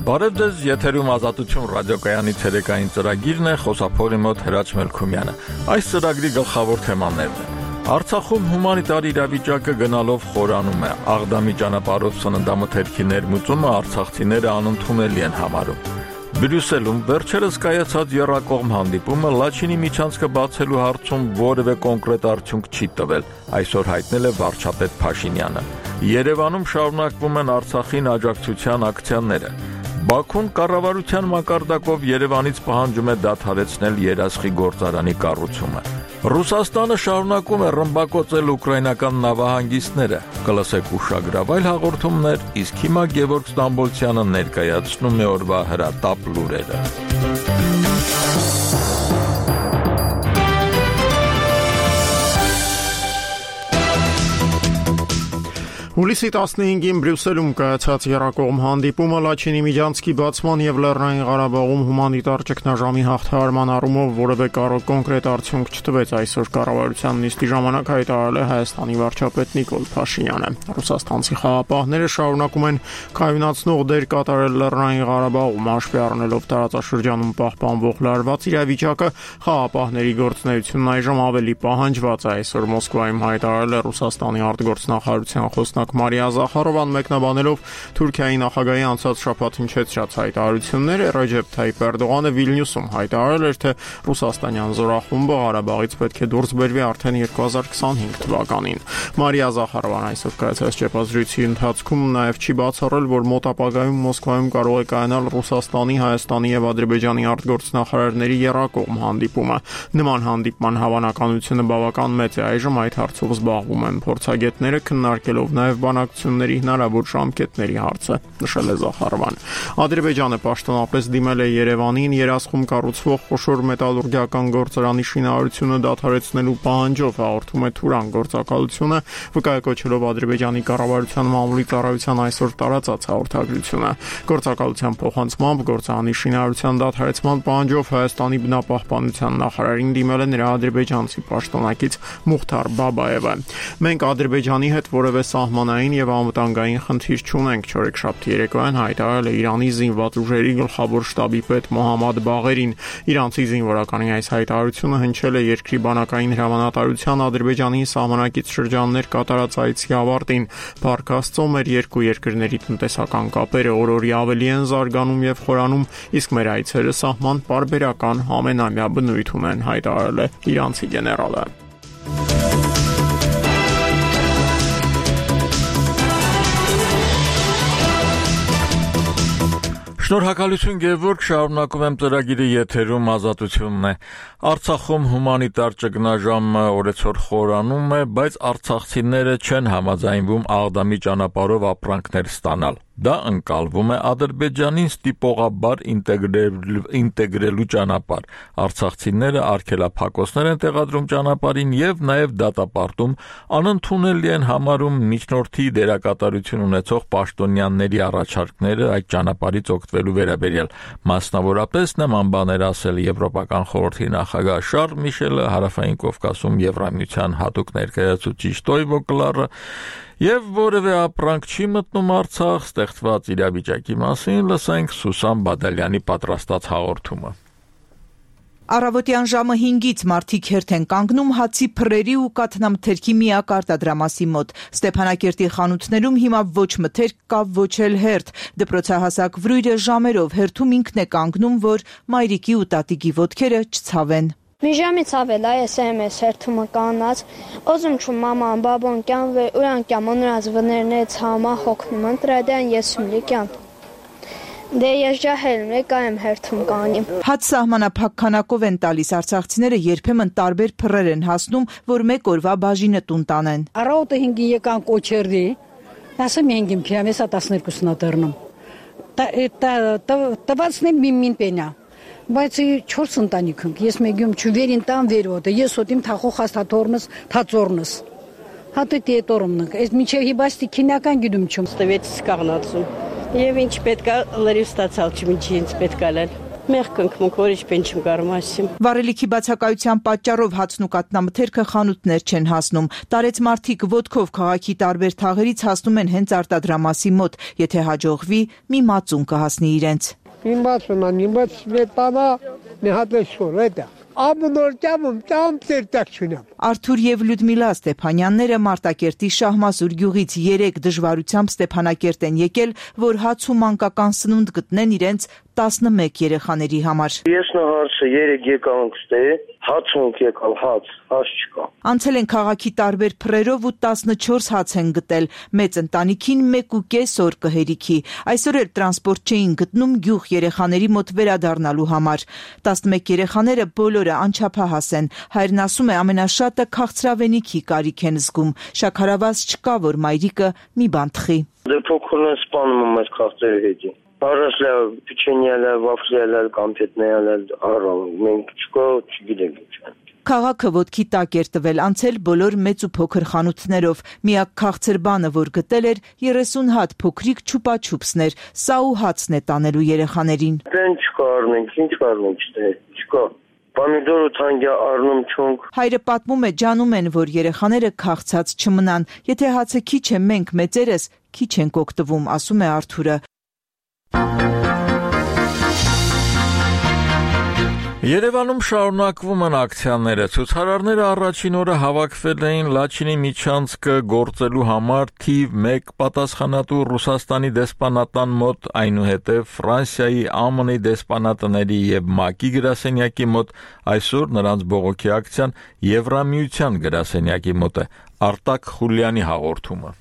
Բարև ձեզ, եթերում Ազատություն ռադիոկայանի ցերեկային ծրագիրն է, խոսափողի մոտ Հրաչ Մելքումյանը։ Այս ծրագրի գլխավոր թեմաներն են. Արցախում հումանիտար իրավիճակը գնալով խորանում է, Աղդամի ճանապարհով սննդամթերքի ներմուծումը արցախցիները անընդունելի են համարում։ Բրյուսելում վերջերս կայացած եռակողմ հանդիպումը Լաչինի միջանցքը բացելու հարցում որևէ կոնկրետ արդյունք չի տվել, այսօր հայտնել է վարչապետ Փաշինյանը։ Երևանում շարունակվում են Արցախին աջակցության ակցիաները։ Բաքուն կառավարության մակարդակով Երևանից պահանջում է դադարեցնել երասխի գործարանի կառուցումը։ Ռուսաստանը շարունակում է ռմբակոծել ուկրաինական նավահանգիստները։ Կլսեք ուշագրավայր հաղորդումներ, իսկ հիմա Գևորգ Ստամբոլցյանը ներկայացնում է օրվա հրատապ լուրերը։ Հուլիսի 15-ին Բրյուսելում կայացած եռակողմ հանդիպումը Լաչինի միջանցքի բացման եւ Լեռնային Ղարաբաղում հումանիտար ճգնաժամի հաղթահարման առումով որևէ կոնկրետ արդյունք չտվեց, այսօր կառավարության նիստի ժամանակ հայտարարել է Հայաստանի վարչապետ Նիկոլ Փաշինյանը։ Ռուսաստանցի խաղապահները շարունակում են կայունացնող դեր կատարել Լեռնային Ղարաբաղում, հաշվի առնելով տարածաշրջանում պահպանվող լարված իրավիճակը, խաղապահների գործունեությունն այժմ ավելի պահանջված է, այսօր Մոսկվայում հայտարարել է Ռուսաստանի արտգործնախարարության խոսնակ Մարիա Զախարովան, մեկնաբանելով Թուրքիայի նախագահի անցած շաբաթ հնչեցրած հայտարարությունները, Ռեջեփ Թայիփ Էրդողանը Վիլնյուսում հայտարարել էր, թե ռուսաստանյան զորախումբը Ղարաբաղից պետք է դուրս բերվի արդեն 2025 թվականին։ Մարիա Զախարովան այսօր կայացած ճեպազրույցի ընթացքում նաև չի բացառել, որ մոտ ապագայում Մոսկվայում կարող է կայանալ Ռուսաստանի, Հայաստանի եւ Ադրբեջանի արտգործնախարարների եռակողմ հանդիպումը։ Նման հանդիպման հավանականությունը բավական մեծ է, այժմ այդ հարցով զբաղվում են փորձագետները, քննարկելով նաև բանակցությունների հնարավոր ժամկետների հարցը, նշել է Զախարովան։ Ադրբեջանը պաշտոնապես դիմել է Երևանին երասխում կառուցվող խոշոր մետալուրգիական գործարանի շինարարությունը դադարեցնելու պահանջով, հաղորդում է Թուրան գործակալությունը, վկայակոչելով Ադրբեջանի կառավարության մամուլի ծառայության այսօր տարածած հաղորդագրությունը։ Գործակալության փոխանցմամբ գործարանի շինարարության դադարեցման պահանջով Հայաստանի բնապահպանության նախարարին դիմել է նրա ադրբեջանցի պաշտոնակից Մուխթար Բաբաևը։ Մենք Ադրբեջանի հետ որևէ սահմանային եւ անվտանգային խնդիր չունենք, չորեքշաբթի երեկոյան հայտարարել է Իրանի զինված ուժերի գլխավոր շտաբի պետ Մոհամմադ Բաղերին։ Իրանցի զինվորականի այս հայտարարությունը հնչել է երկրի բանակային հրամանատարության Ադրբեջանի սահմանակից շրջաններ կատարած այցի ավարտին։ Փառք Աստծո, մեր երկու երկրների տնտեսական կապերը օր-օրի ավելի են զարգանում եւ խորանում, իսկ մեր այցերը սահման պարբերական ամենամյա բնույթ ունեն, հայտարարել է իրանցի գեներալը։ Շնորհակալություն Գևորգ, շարունակում եմ ծրագիրը, եթերում Ազատությունն է։ Արցախում հումանիտար ճգնաժամը օրեցօր խորանում է, բայց արցախցիները չեն համաձայնվում Աղդամի ճանապարհով ապրանքներ ստանալ։ Դա ընկալվում է Ադրբեջանին ստիպողաբար ինտեգրելու ճանապարհ։ Արցախցիները արգելափակոցներ են տեղադրում ճանապարհին եւ նաեւ դատապարտում, անընդունելի են համարում միջնորդի դերակատարություն ունեցող պաշտոնյաների առաջարկները այդ ճանապարհից օգտվելու վերաբերյալ։ Մասնավորապես նման բաներ ասել Եվրոպական խորհրդի նախագահ Շարլ Միշելը, Հարավային Կովկասում Եվրամիության հատուկ ներկայացուցիչ Տոյվո Կլարը, եւ որևէ ապրանք չի մտնում Արցախ, ստեղծված իրավիճակի մասին լսենք Սուսան Բադալյանի պատրաստած հաղորդումը։ Առավոտյան ժամը 5-ից մարդիկ հերթ են կանգնում հացի փռերի ու կաթնամթերքի միակ արտադրամասի մոտ։ Ստեփանակերտի խանութներում հիմա ոչ մթերք կա, ոչ էլ հերթ։ Դպրոցահասակ վրույրը ժամերով հերթում ինքն է կանգնում, որ մայրիկի ու տատիկի ոտքերը չցավեն։ Մի ժամից ավել այս հերթումը կանած, օզում չում մաման, բաբոն կյան վե ուրան կյամ ունրած վներնեց համա հոգնում ընտրադյան եսում լիկյան։ Դե ես ջահելում եկայեմ հերթում կանիմ։ Հաց սահմանափակ քանակով են տալիս արցախցիները, երբեմն տարբեր փռեր են հասնում, որ մեկ օրվա բաժինը տուն տանեն։ Առավոտը 5-ին եկան կոչերդի, ասեմ 5-ին փիամ, ես 12-ն դառնում։ Տվացնի մին պենա։ Բայց 4 ընտանիք ենք, ես մեգյում չվերին տան վերոտը, ես ոտիմ թախող հաստաթորնս, թածորնս։ Հատը տետորումնք, այս միջև հիբաստի քինական գյդում չում։ Ստվեց կաղնացում, և ինչ պետք է լրիվ ստացալ չմինչի ինձ պետք է լել։ Մեղք ընկմունք, որիշ բեն չեմ կարում ասիմ։ Վառելիքի բացակայության պատճառով հացն ու կատնամթերքը խանութներ չեն հասնում։ Տարեց մարդիկ ոտքով քաղաքի տարբեր թաղերից հասնում են հենց արտադրամասի մոտ, եթե հաջողվի, մի մածուն կհասնի իրենց։ Արթուր եւ Լյուդմիլա Ստեփանյանները Մարտակերտի Շահմասուր գյուղից 3 դժվարությամբ Ստեփանակերտ են եկել, որ հաց ու մանկական սնունդ գտնեն իրենց 11 երեխաների համար։ Ես նահարցը 3 եկանք ստե, հաց ունք եկալ, հաց չկա։ Անցել են քաղաքի տարբեր փռերով ու 14 հաց են գտել, մեծ ընտանիքին 1.5 օր կհերիքի։ Այսօր էլ տրանսպորտ չէին գտնում գյուղ երեխաների մոտ վերադառնալու համար։ 11 երեխաները բոլորը անչափահաս են։ Հայրն ասում է ամենաշատը քաղցրավենիքի կարիք են զգում։ Շաքարավազ չկա, որ մայրիկը մի բան թխի։ Դե փոքրն են սպանում եմ այս քաղցրերի հետի։ Առասլա պիչենյալը, վաֆլյալը, կամպետնեալը, առալ, մենք չկա, չգիտենք ինչ։ Քաղաքը ոտքի տակ էր տվել, անցել բոլոր մեծ ու փոքր խանութներով։ Միակ քաղցր բանը, որ գտել էր, 30 հատ փոքրիկ չուպաչուպսներ։ Սա ու հացն է տանելու երեխաներին։ Դեն չկա առնենք, ինչ առնենք, չկա։ Պամիդոր ու թանկյա առնում չունք։ Հայրը պատմում է, ջանում են, որ երեխաները քաղցած չմնան։ Եթե հացը քիչ է, մենք մեծերս քիչ ենք օգտվում, ասում է Արթուրը։ Երևանում շարունակվում են ակցիաները։ Ցուցարարները առաջին օրը հավաքվել էին Լաչինի միջանցքը գործելու համար թիվ 1 պատասխանատու Ռուսաստանի դեսպանատան մոտ, այնուհետև Ֆրանսիայի, ԱՄՆ-ի դեսպանատների եւ ՄԱԿ-ի գրասենյակի մոտ, այսօր նրանց բողոքի ակցիան Եվրամիության գրասենյակի մոտ է։ Արտակ Խուլյանի հաղորդումը։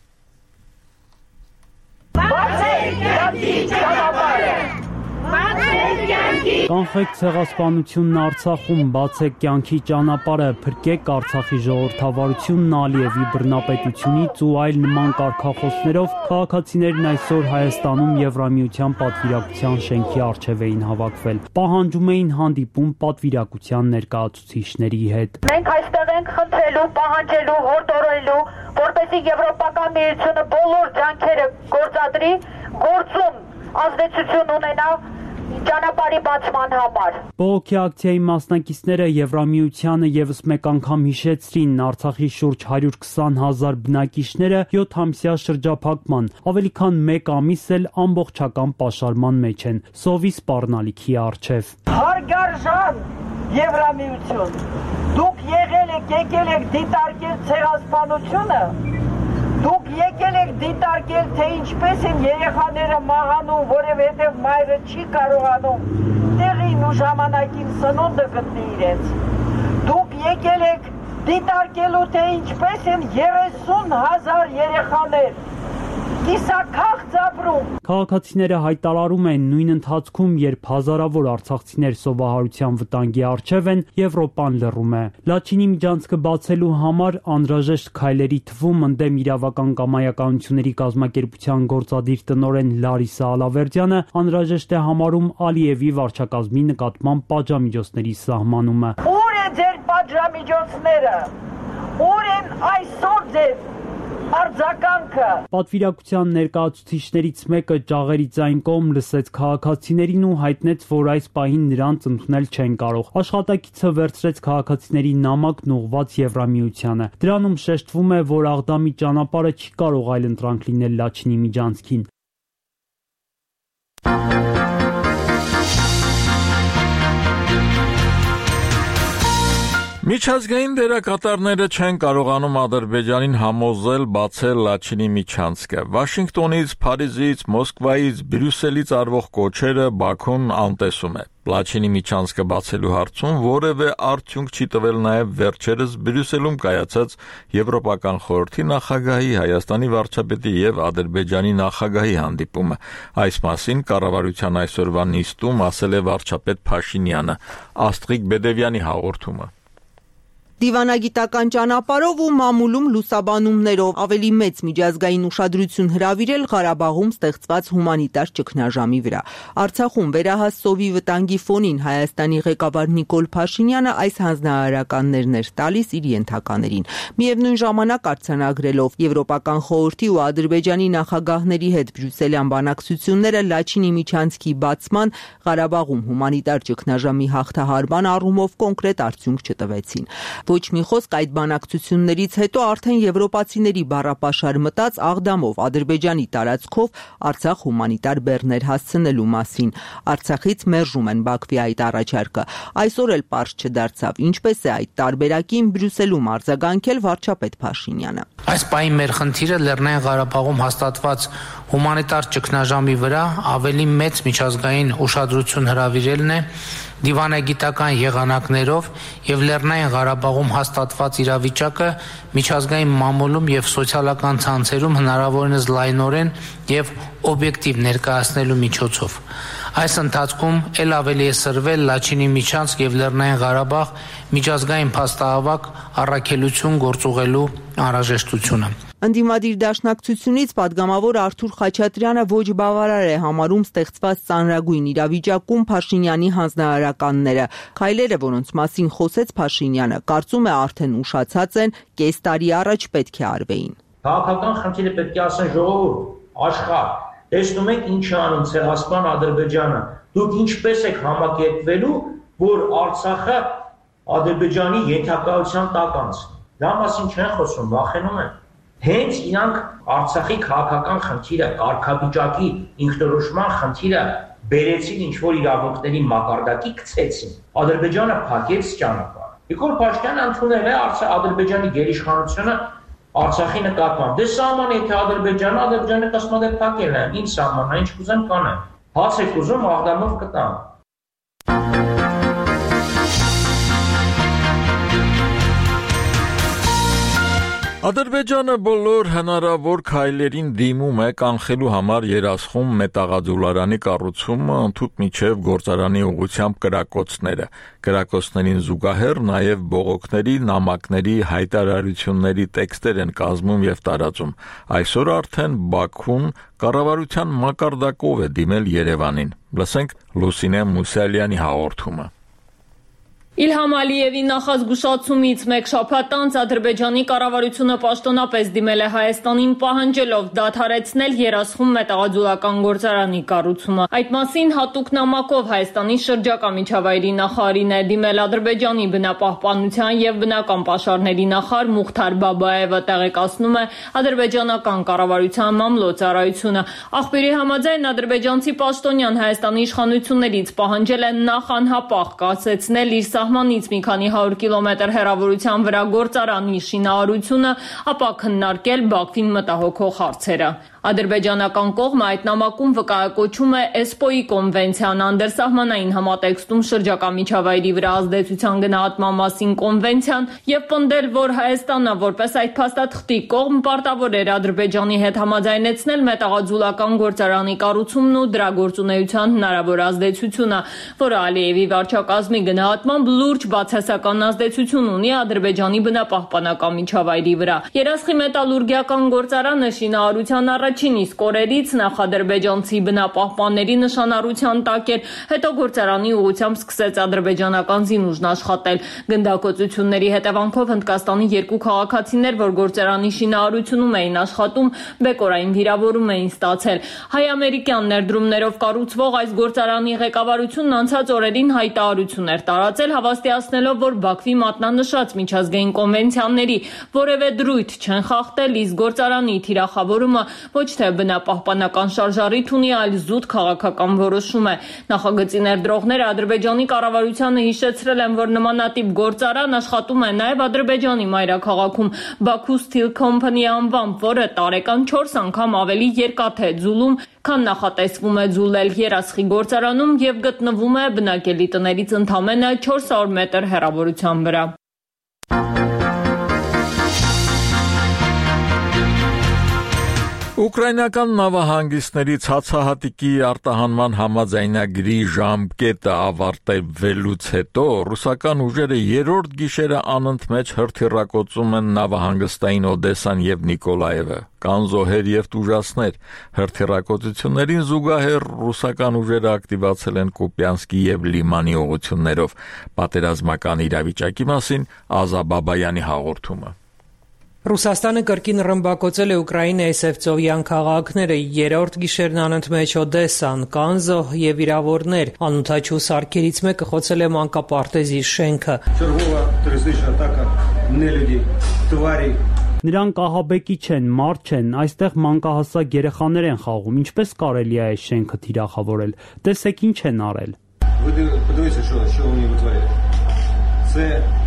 Կանխեք ցեղասպանությունն Արցախում, բացեք կյանքի ճանապարհը, փրկեք Արցախի ժողովրդավարությունն Ալիևի բռնապետությունից ու այլ նման կարգախոսներով քաղաքացիներն այսօր Հայաստանում Եվրամիության պատվիրակության շենքի առջև էին հավաքվել։ Պահանջում էին հանդիպում պատվիրակության ներկայացուցիչների հետ։ Մենք այստեղ ենք խնդրելու, պահանջելու, հորդորելու, որպեսզի Եվրոպական միությունը բոլոր ջանքերը գործադրի, գործում ազդեցություն ունենա ճանապարհի բացման համար։ Բողոքի ակցիայի մասնակիցները Եվրամիությանը եւս մեկ անգամ հիշեցրին Արցախի շուրջ 120,000 բնակիչները 7-ամսյա շրջափակման, ավելի քան 1 ամիս էլ ամբողջական պաշարման մեջ են, սովի սպառնալիքի առջև։ Հարգարժան Եվրամիություն, դուք եկել եք դիտարկել ցեղասպանությունը, դուք եկել եք դիտարկել, թե ինչպես են երեխաները մահանում, որովհետև մայրը չի կարողանում տեղին ու ժամանակին սնունդը գտնի իրենց։ Դուք եկել եք դիտարկելու, թե ինչպես են 30,000 երեխաներ կիսաքաղց ապրում։ Քաղաքացիները հայտարարում են նույն ընթացքում, երբ հազարավոր արցախցիներ սովահարության վտանգի առջև են, Եվրոպան լռում է։ Լաչինի միջանցքը բացելու համար անհրաժեշտ քայլերի թվում ընդդեմ իրավական կամայականությունների կազմակերպության գործադիր տնօրեն Լարիսա Ալավերդյանը անհրաժեշտ է համարում Ալիևի վարչակազմի նկատմամբ պատժամիջոցների սահմանումը։ Ուր է ձեր պատժամիջոցները։ Ուր են այսօր ձեր արձագանքը։ Պատվիրակության ներկայացուցիչներից մեկը ճաղերի ձայն կողմ լսեց քաղաքացիներին ու հայտնեց, որ այս պահին նրանց ընդունել չեն կարող։ Աշխատակիցը վերցրեց քաղաքացիների նամակն ուղղված Եվրամիությանը։ Դրանում շեշտվում է, որ Աղդամի ճանապարհը չի կարող այլ ընտրանք լինել Լաչինի միջանցքին։ Միջազգային դերակատարները չեն կարողանում Ադրբեջանին համոզել բացել Լաչինի միջանցքը։ Վաշինգտոնից, Փարիզից, Մոսկվայից, Բրյուսելից արվող կոչերը Բաքուն անտեսում է։ Լաչինի միջանցքը բացելու հարցում որևէ արդյունք չի տվել նաև վերջերս Բրյուսելում կայացած Եվրոպական խորհրդի նախագահի, Հայաստանի վարչապետի եւ Ադրբեջանի նախագահի հանդիպումը։ Այս մասին կառավարության այսօրվա նիստում ասել է վարչապետ Փաշինյանը։ Աստղիկ Բեդևյանի հաղորդումը։ Դիվանագիտական ճանապարհով ու մամուլում լուսաբանումներով ավելի մեծ միջազգային ուշադրություն հրավիրել Ղարաբաղում ստեղծված հումանիտար ճգնաժամի վրա։ Արցախում վերահաս սովի վտանգի ֆոնին Հայաստանի ղեկավար Նիկոլ Փաշինյանը այս հանձնարարականներն էր տալիս իր ենթականերին։ Միևնույն ժամանակ արձանագրելով Եվրոպական խորհրդի ու Ադրբեջանի նախագահների հետ բրյուսելյան բանակցությունները Լաչինի միջանցքի բացման, Ղարաբաղում հումանիտար ճգնաժամի հաղթահարման առումով կոնկրետ արդյունք չտվեցին։ Ոչ մի խոսք այդ բանակցություններից հետո արդեն եվրոպացիների բառապաշար մտած Աղդամով Ադրբեջանի տարածքով Արցախ հումանիտար բեռներ հասցնելու մասին։ Արցախից մերժում են Բաքվի այդ առաջարկը։ Այսօր էլ պարզ չդարձավ ինչպես է այդ տարբերակին Բրյուսելում արձագանքել վարչապետ Փաշինյանը։ Այս պահին մեր խնդիրը Լեռնային Ղարաբաղում հաստատված հումանիտար ճգնաժամի վրա ավելի մեծ միջազգային ուշադրություն հրավիրելն է դիվանագիտական եղանակներով եւ Լեռնային Ղարաբաղում հաստատված իրավիճակը միջազգային մամուլում եւ սոցիալական ցանցերում հնարավորինս լայնորեն եւ օբյեկտիվ ներկայացնելու միջոցով։ Այս ընթացքում ել ավելի է սրվել Լաչինի միջանցք եւ Լեռնային Ղարաբաղ միջազգային փաստահավաք առաքելություն գործուղելու անհրաժեշտությունը։ Ընդդիմադիր դաշնակցությունից падգամավոր Արթուր Խաչատրյանը ոչ բավարար է համարում ստեղծված ծանրագույն իրավիճակում Փաշինյանի հանձնարարականները։ Քայլերը, որոնց մասին խոսեց Փաշինյանը, կարծում է արդեն ուշացած են, կես տարի առաջ պետք է արվեին։ Քաղաքական խնդիրը պետք է ասեն ժողովուրդ, աշխարհ։ Տեսնում եք ինչ է անում Ցեղասպան Ադրբեջանը։ Դուք ինչպես եք համակերպվելու, որ Արցախը Ադրբեջանի ենթակայության տակ անցնի։ Դա մասին չեն խոսում, վախենում են։ Հենց իրանք Արցախի քաղաքական խնդիրը, կարգավիճակի ինքնորոշման խնդիրը բերեցին ինչ-որ իրավունքների մակարդակի գցեցին։ Ադրբեջանը փակեց ճանապարհ։ Նիկոլ Փաշինյանը ընդունել է Ադրբեջանի գերիշխանությունը Արցախի նկատմամբ։ Դե սահման եթե Ադրբեջանը կասում է փակել է, ինչ սահմանա, ինչ կուզեն կանեն։ Հաց եք ուզում Աղդամով կտան։ Ադրբեջանը բոլոր հնարավոր քայլերին դիմում է կանխելու համար Երասխում մետաղաձուլարանի կառուցումը ընդհուպ միջև գործարանի ուղղությամբ կրակոցները։ Կրակոցներին զուգահեռ նաև բողոքների, նամակների, հայտարարությունների տեքստեր են կազմում եւ տարածում։ Այսօր արդեն Բաքուն կառավարության մակարդակով է դիմել Երևանին։ Լսենք Լուսինե Մուսալյանի հաղորդումը։ Իլհամ Ալիևի նախազգուշացումից մեկ շաբաթ անց Ադրբեջանի կառավարությունը պաշտոնապես դիմել է Հայաստանին պահանջելով դադարեցնել Երասխում մետաղաձուլական գործարանի կառուցումը։ Այդ մասին հատուկ նամակով Հայաստանի շրջակա միջավայրի նախարարին է դիմել Ադրբեջանի բնապահպանության եւ բնական պաշարների նախարար Մուխթար Բաբաևը, տեղեկացնում է ադրբեջանական կառավարության մամլոյցարայությունը։ Աղբյուրի համաձայն ադրբեջանցի պաշտոնյան Հայաստանի իշխանություններից պահանջել է նախ անհապաղ կասեցնել իր սահմանից մի քանի 100 կիլոմետր հեռավորության վրա գործարանի շինարարությունը, ապա քննարկել Բաքվին մտահոգող հարցերը։ Ադրբեջանական կողմը այդ նամակում վկայակոչում է ESPO-ի կոնվենցիան, անդրսահմանային համատեքստում շրջակա միջավայրի վրա ազդեցության գնահատման մասին կոնվենցիան եւ պնդել, որ Հայաստանը որպես այդ փաստաթղթի կողմ պարտավոր էր Ադրբեջանի հետ համաձայնեցնել մետաղաձուլական գործարանի կառուցումն ու դրա գործունեության հնարավոր ազդեցությունը, որը Ալիևի վարչակազմի գնահատմամբ լուրջ բացասական ազդեցություն ունի Ադրբեջանի բնապահպանական միջավայրի վրա։ Երասխի մետալուրգիական գործարանը շինարարության առաջին իսկ օրերից նախ ադրբեջանցի բնապահպանների նշանառության տակ էր, հետո գործարանի ուղղությամբ սկսեց ադրբեջանական զինուժն աշխատել։ Գնդակոծությունների հետևանքով Հնդկաստանի երկու քաղաքացիներ, որ գործարանի շինարարությունում էին աշխատում, բեկորային վիրավորում էին ստացել։ Հայ-ամերիկյան ներդրումներով կառուցվող այս գործարանի ղեկավարությունն անցած օրերին հայտարարություն էր տարածել, հավաստիացնելով, որ Բաքվի մատնանշած միջազգային կոնվենցիաների որևէ դրույթ չեն խախտել, իսկ գործարանի թիրախավորումը ոչ թե բնապահպանական շարժառիթ ունի, այլ զուտ քաղաքական որոշում է։ Նախագծի ներդրողները Ադրբեջանի կառավարությանը հիշեցրել են, որ նմանատիպ գործարան աշխատում է նաև Ադրբեջանի մայրաքաղաքում Baku Steel Company անվամբ, որը տարեկան 4 անգամ ավելի երկաթե ձուլում, քան նախատեսվում է ձուլել Երասխի գործարանում եւ գտնվում է բնակելի տներից ընդամենը 400 մետր հեռավորության վրա։ Ուկրաինական նավահանգիստների ցածահատիկի արտահանման համաձայնագրի ժամկետը ավարտվելուց հետո ռուսական ուժերը երրորդ գիշերը անընդմեջ հրթիռակոծում են նավահանգստային Օդեսան եւ Նիկոլաևը։ Կան զոհեր եւ տուժածներ։ Հրթիռակոծություններին զուգահեռ ռուսական ուժերը ակտիվացել են Կուպյանսկի եւ Լիմանի ուղղություններով։ Պատերազմական իրավիճակի մասին Ազա Բաբայանի հաղորդումը։ Ռուսաստանը կրկին ռմբակոծել է Ուկրաինայի Սևծովյան քաղաքները, երրորդ գիշերն անընդմեջ Օդեսան, կան զոհ եւ վիրավորներ, անօդաչու սարքերից մեկը խոցել է մանկապարտեզի շենքը։ Նրանք ահաբեկի չեն, մարդ չեն, այստեղ մանկահասակ երեխաներ են խաղում, ինչպես կարելի է այս շենքը թիրախավորել, տեսեք ինչ են արել։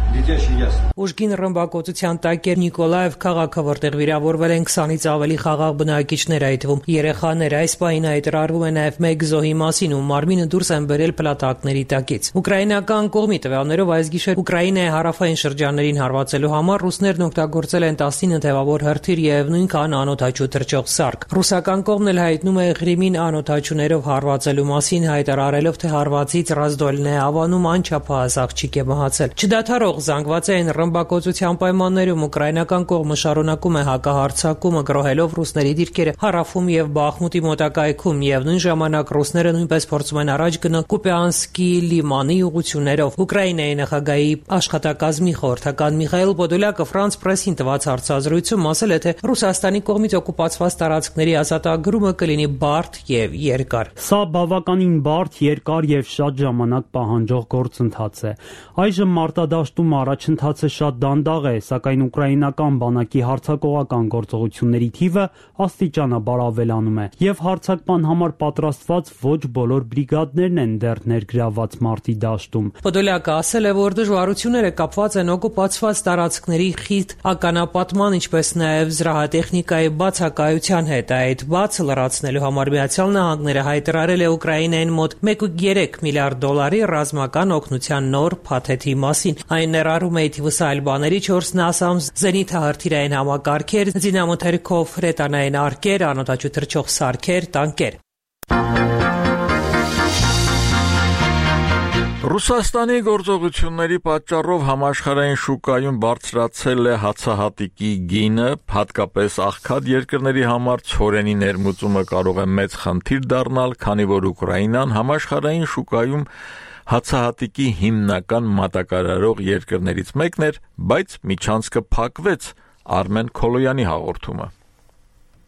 Ուժգին ռմբակոծության տակ էր Նիկոլաև քաղաքը, որտեղ վիրավորվել են 20-ից ավելի խաղաղ բնակիչներ, այդ թվում երեխաներ։ Այս պահին հայտարարվում է նաև մեկ զոհի մասին, ում մարմինը դուրս են բերել փլատակների տակից։ Ուկրաինական կողմի տվյալներով այս գիշեր Ուկրաինայի հարավային շրջաններին հարվածելու համար ռուսներն օգտագործել են 19 թևավոր հրթիռ եւ նույնքան անօդաչու թռչող սարք։ Ռուսական կողմն էլ հայտնում է Ղրիմին անօդաչուներով հարվածելու մասին, հայտարարելով, թե հարվածից Ռազդոլն է հավանում անչափահաս աղջիկ է մահացել։ Չդադարող զանգված էին ռմբակոծության պայմաններում ուկրաինական կողմը շարունակում է հակահարձակումը, գրոհելով ռուսների դիրքերը Հարավում եւ Բախմուտի մոտակայքում, եւ նույն ժամանակ ռուսները նույնպես փորձում են առաջ գնալ Կուպյանսկի Լիմանի ուղղություններով։ Ուկրաինայի նախագահի աշխատակազմի խորհրդական Միխայել Պոդոլյակը France Press-ին տված հարցազրույցում ասել է, թե Ռուսաստանի կողմից օկուպացված տարածքների ազատագրումը կլինի բարդ եւ երկար։ Սա բավականին բարդ, երկար եւ շատ ժամանակ պահանջող գործընթաց է։ Այժմ մարտադաշտում առաջընթացը շատ դանդաղ է, սակայն ուկրաինական բանակի հարձակողական գործողությունների թիվը աստիճանաբար ավելանում է, եւ հարձակման համար պատրաստված ոչ բոլոր բրիգադներն են դեռ ներգրավված մարտի դաշտում։ Պոդոլյակը ասել է, որ դժվարությունները կապված են օկուպացված տարածքների խիտ ականապատման, ինչպես նաեւ զրահատեխնիկայի բացակայության հետ։ Այդ բացը լրացնելու համար Միացյալ Նահանգները հայտարարել է Ուկրաինային մոտ 1.3 միլիարդ դոլարի ռազմական օգնության նոր փաթեթի մասին։ Այն ներառում է թիվս այլ բաների 4 NASAMS զենիթահրթիռային համակարգեր, զինամթերքով հրետանային արկեր, անօդաչու թռչող սարքեր, տանկեր։ Ռուսաստանի գործողությունների պատճառով համաշխարհային շուկայում բարձրացել է հացահատիկի գինը, հատկապես աղքատ երկրների համար ցորենի ներմուծումը կարող է մեծ խնդիր դառնալ, քանի որ Ուկրաինան համաշխարհային շուկայում հացահատիկի հիմնական մատակարարող երկրներից մեկն էր, բայց միջանցքը փակվեց։ Արմեն Քոլոյանի հաղորդումը։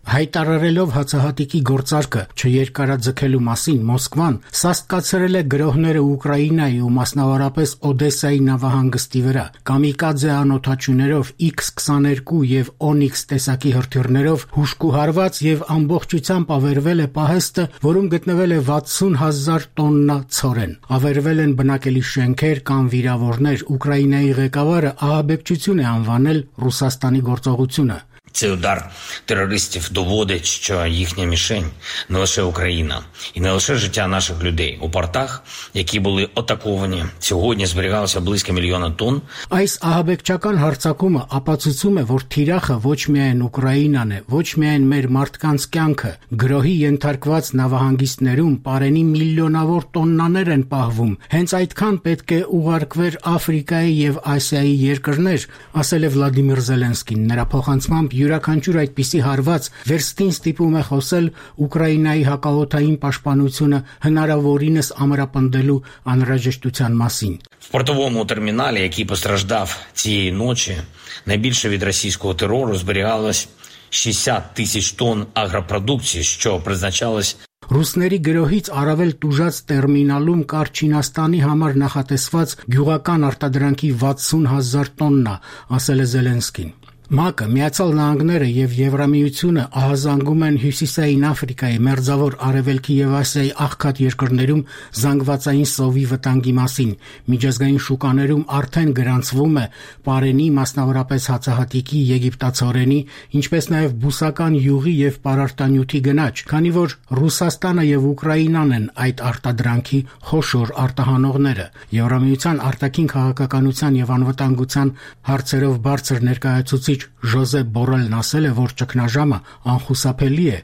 Հայտարարելով հացահատիկի գործարկը չերկարաձգելու մասին Մոսկվան սաստկացրել է գրոհները Ուկրաինայի ու մասնավորապես Օդեսայի նավահանգստի վրա, կամիկադզե անօդաչուներով X-22 եւ Onyx տեսակի հրթիռներով հուժկուհարված եւ ամբողջությամբ ավերվել է պահեստը, որում գտնվել է 60,000 տոննա ցորեն։ Ավերվել են բնակելի շենքեր կամ վիրավորներ։ Ուկրաինայի ղեկավարը ահաբեկչություն է անվանել Ռուսաստանի գործողությունը։ Цей удар терористів доводить, що їхня мішень не лише Україна і не лише життя наших людей. У портах, які були атаковані, сьогодні зберігалося близько мільйона тонн. Այս ահաբեկչական հարձակումը ապացուցում է, որ թիրախը ոչ միայն Ուկրաինան է, ոչ միայն մեր մարդկանց կյանքը, գրոհի ենթարկված նավահանգիստներում պարենի միլիոնավոր տոննաներ են պահվում։ Հենց այդքան պետք է ուղարկվեր Աֆրիկայի եւ Ասիայի երկրներ, ասել է Վլադիմիր Զելենսկին։ Նրա փոխանցմամբ յուրաքանչյուր այդպիսի հարված վերստին ստիպում է խոսել Ուկրաինայի հակաօդային պաշտպանությունը հնարավորինս ամրապնդելու անհրաժեշտության մասին։ В портовому терміналі, який постраждав цієї ночі, найбільше від російського терору зберігалось 60 тисяч тонн агропродукції, що призначалось Ռուսների գրոհից առավել տուժած տերմինալում կար Չինաստանի համար նախատեսված գյուղական արտադրանքի 60,000 տոննա, ասել է Զելենսկին։ ՄԱԿ-ը, Միացյալ Նահանգները եւ Եվրամիությունը ահազանգում են Հյուսիսային Աֆրիկայի, Մերձավոր Արևելքի եւ Ասիայի աղքատ երկրներում զանգվածային սովի վտանգի մասին։ Միջազգային շուկաներում արդեն գրանցվում է պարենի, մասնավորապես հացահատիկի, եգիպտացորենի, ինչպես նաեւ բուսական յուղի եւ պարարտանյութի գնաճ, քանի որ Ռուսաստանը եւ Ուկրաինան են այդ արտադրանքի խոշոր արտահանողները։ Եվրամիության արտաքին քաղաքականության եւ անվտանգության հարցերով բարձր ներկայացուցիչ Գերեջ Ժոզեփ Բորելն ասել է, որ ճգնաժամը անխուսափելի է։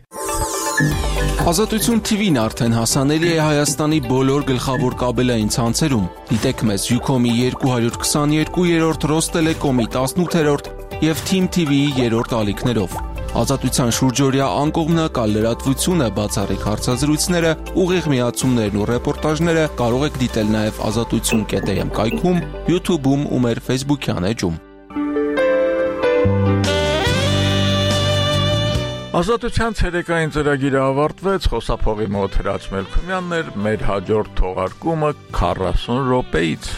Ազատություն TV-ն արդեն հասանելի է Հայաստանի բոլոր գլխավոր կաբելային ցանցերում։ Դիտեք մեզ Ucom-ի 222-րդ, Ռոստելեկոմի 18-րդ եւ Team TV-ի 3-րդ ալիքներով։ Ազատության շուրջօրյա անկողմնակալ լրատվությունը, բացառիկ հարցազրույցները, ուղիղ միացումներն ու ռեպորտաժները կարող եք դիտել նաեւ azatutsun.am կայքում, YouTube-ում ու մեր Facebook-յան էջում։ Ազատության ցերեկային ծրագիրը ավարտվեց, խոսափողի մոտ Հրաչ Մելքումյանն էր, մեր հաջորդ թողարկումը 40 րոպեից։